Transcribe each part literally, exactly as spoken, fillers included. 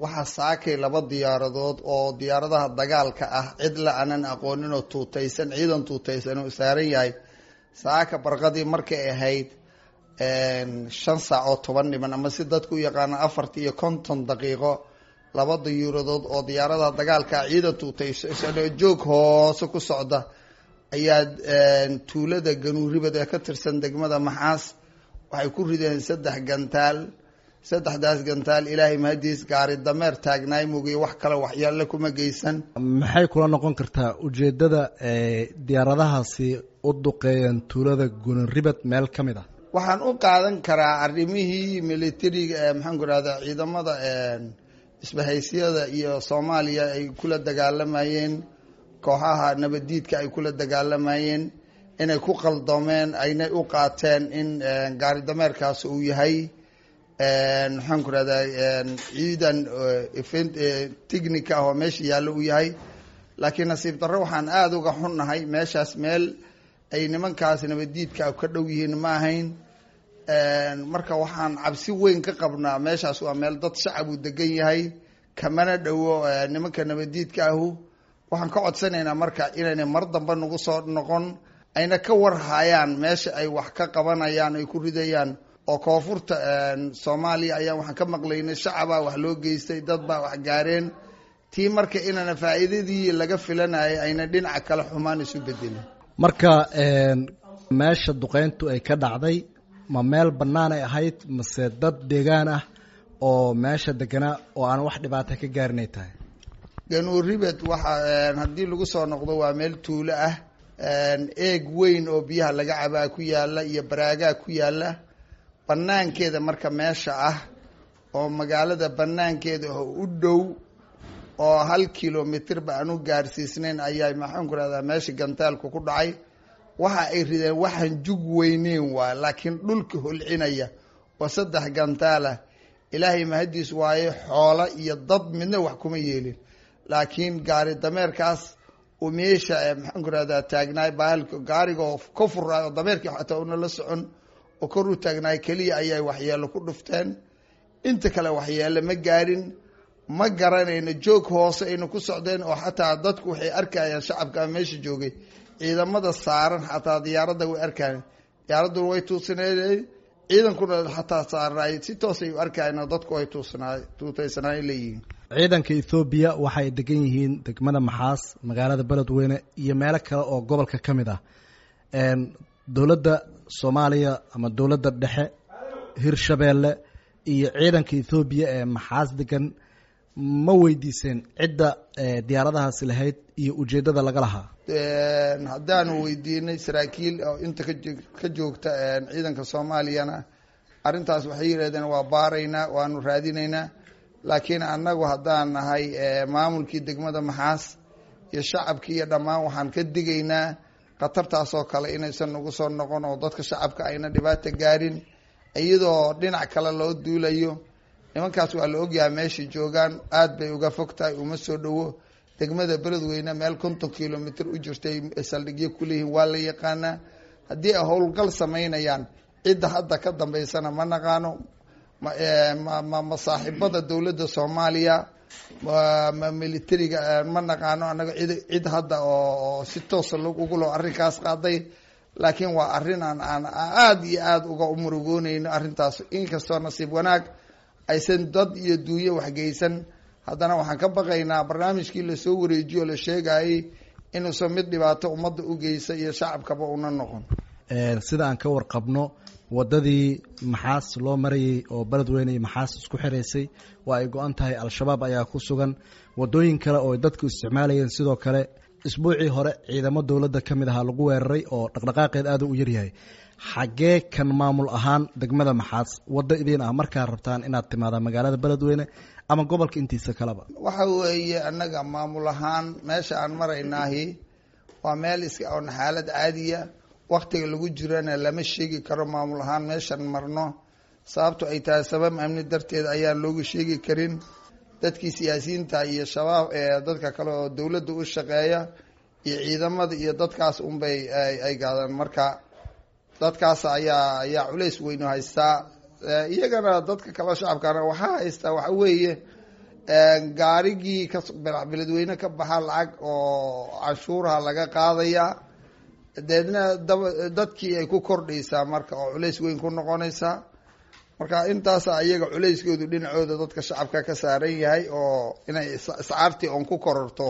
Waxaa saakay laba diyaaradood oo diyaaradaha dagaalka ah, cid la aanan aqoonin oo tuutaysan, ciidan tuutaysan oo saaran yahay, saaka barqadii markay ahayd shan saac oo toban dhiman, ama si dadku u yaqaano afartii iyo konton daqiiqo, laba diyuuradood oo diyaaradaha dagaalka ah, ciidan tuutaysan oo joog hoose ku socda ayaa tuulada Ganuuribad ee ka tirsan degmada Maxaas waxay ku rideen saddex gantaal. Saddexdaas gantaal, Ilaahay mahadiis, gaari dameer taagnaay mugiyo wax kale waxyaale kuma geysan. Maxay kula noqon kartaa ujeeddada diyaaradahaasi u duqeeyeen tuulada Gunuribad meel ka mid ah? Waxaan u qaadan karaa arrimihii militariga ee, maxaan ku rahdaa, ciidamada isbahaysyada iyo Soomaaliya ay kula dagaalamayeen kooxaha nabadiidka ay kula dagaalamayeen inay ku qaldoomeen, aynay u qaateen in gaari dameerkaas uu yahay, maxaan ku rahdaa, ciidan technica ah oo meesha yaallo uu yahay. Laakiin nasiib darro, waxaan aada uga xunnahay, meeshaas meel ay nimankaas nabadiidka ka dhow yihiin ma ahayn. Marka waxaan cabsi weyn ka qabnaa, meeshaas waa meel dad shacab uu degan yahay, kamana dhowo nimanka nabadiidka ahu. Waxaan ka codsanaynaa marka inaynay mar dambe nagu soo noqon, ayna ka warhayaan meesha ay wax ka qabanayaan ay ku ridayaan. Oo koonfurta Soomaaliya ayaan waxaan ka maqlaynay shacabaa wax loo geystay, dad baa wax gaareen. Tii marka inaana faa'iidadii laga filanayay ayna dhinaca kale xumaan isu bedelin. Marka meesha duqeyntu ay ka dhacday ma meel bannaan ay ahayd, mase dad deegaan ah oo meesha deganaa oo aan wax dhibaata ka gaarinay tahay? Ganuuribed waxa haddii lagu soo noqdo waa meel tuulo ah, eeg weyn oo biyaha laga cabaa ku yaala iyo baraagaa ku yaala banaankeeda. Marka meesha ah oo magaalada banaankeeda oo u dhow oo hal kilomitr ba aan u gaarsiisnayn ayaa, maxaan ku rahdaa, meesha gantaalku ku dhacay. Waxa ay rideen waxaan jug weyneyn waa, laakiin dhulka holcinaya oo saddex gantaalah. Ilaahay mahadiis waaye, xoola iyo dad midna wax kuma yeelin, laakiin gaari dameerkaas uu meesha, maxaan ku rahdaa, taagnaay, bahalka gaariga oo ka furaay oo dameerkii xataa una la socon oo kor u taagnaay keliya ayay waxyeelo ku dhufteen. Inta kale waxyeelo ma gaarin. Ma garanayno, joog hoose aynu ku socdeen oo xataa dadku waxay arkayaan, shacabka meesha joogay, ciidamada saaran xataa diyaaradda way arkayaan, diyaaraduna way tuusineen, ciidankuna xataa saarnaay si toosay u arkayaan oo dadku ay tuusnaa tuutaysanaay leeyihiin. Ciidanka Ethoobiya waxay degan yihiin degmada Maxaas, magaalada Beledweyne iyo meelo kale oo gobolka ka mid ah. Dowladda Soomaaliya ama dowladda dhexe, Hirshabeelle iyo ciidanka Ethoobiya ee Maxaas degan ma weydiiseen cidda diyaaradahaasi lahayd iyo ujeeddada laga lahaa? Haddaanu weydiinay saraakiil oo inta ka ka joogta ciidanka Soomaaliyana, arrintaas waxay yidhahdeen waa baaraynaa, waanu raadinaynaa. Laakiin annagu haddaan nahay maamulkii degmada Maxaas iyo shacabkii iyo dhammaan, waxaan ka digaynaa khatartaas oo kale inaysan nagu soo noqon oo dadka shacabka ayna dhibaata gaarin iyadoo dhinac kale loo duulayo. Nimankaas waa la ogyahay meeshay joogaan, aad bay uga fog tahay, uma soo dhowo degmada Beledweyne. Meel konton kilomitr u jirtay saldhigyo kuleeyihiin, waa la yaqaanaa. Haddii ay howlgal samaynayaan, cidda hadda ka dambeysana ma naqaano, ma ma saaxiibada dowladda Soomaaliya, ma militariga, ma naqaano annaga cid cid hadda oo si toosa ugu loo arrinkaas qaaday. Laakiin waa arrin aan aan aada iyo aada uga murugooneyno arrintaas. Inkastoo nasiib wanaag aysan dad iyo duunyo waxgeysan, haddana waxaan ka baqaynaa barnaamijkii lasoo wareejiyo o la sheegayay inuusan mid dhibaato ummadda u geysa iyo shacabkaba una noqon. Sida aan ka warqabno, waddadii Maxaas loo marayey oo Beledweyne iyo Maxaas isku xiraysay waa ay go-an tahay, Al-Shabaab ayaa ku sugan. Waddooyin kale oo dadku isticmaalayeen sidoo kale isbuucii hore ciidamo dowladda ka mid ahaa lagu weeraray oo dhaqdhaqaaqeed aada u yaryahay. Xaggee kan maamul ahaan degmada Maxaas waddo idiin ah markaa rabtaan inaad timaadaan magaalada Beledweyne ama gobolka intiisa kaleba? Waxa weeye, annaga maamul ahaan meesha aan maraynaahi waa meel iska oon xaalad caadiya, waktiga lagu jirana lama sheegi karo maamul ahaan meeshan marno, sababto ay tahay sabab amni darteed ayaan loogu sheegi karin. Dadkii siyaasiyiinta iyo Shabaab ee dadka kale oo dowladda u shaqeeya iyo ciidamada iyo dadkaas unbay ay gaadaan. Marka dadkaas ayaa ayaa culays weynu haystaa, iyagana dadka kaleo shacabkana waxaa haystaa. Waxa weeye, Gaarigii ka Beledweyne ka baxa lacag oo canshuuraha laga qaadayaa, deedna dab dadkii ay ku kordhaysaa marka oo culays weyn ku noqonaysaa. Marka intaasa iyaga culayskoodu dhinacooda dadka shacabka ka saaran yahay oo inay iscaartii oon ku kororto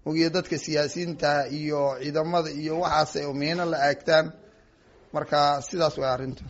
ogiyo dadka siyaasiyiinta iyo ciidamada iyo waxaas ay miino la aagtaan. Marka sidaas way arrintu.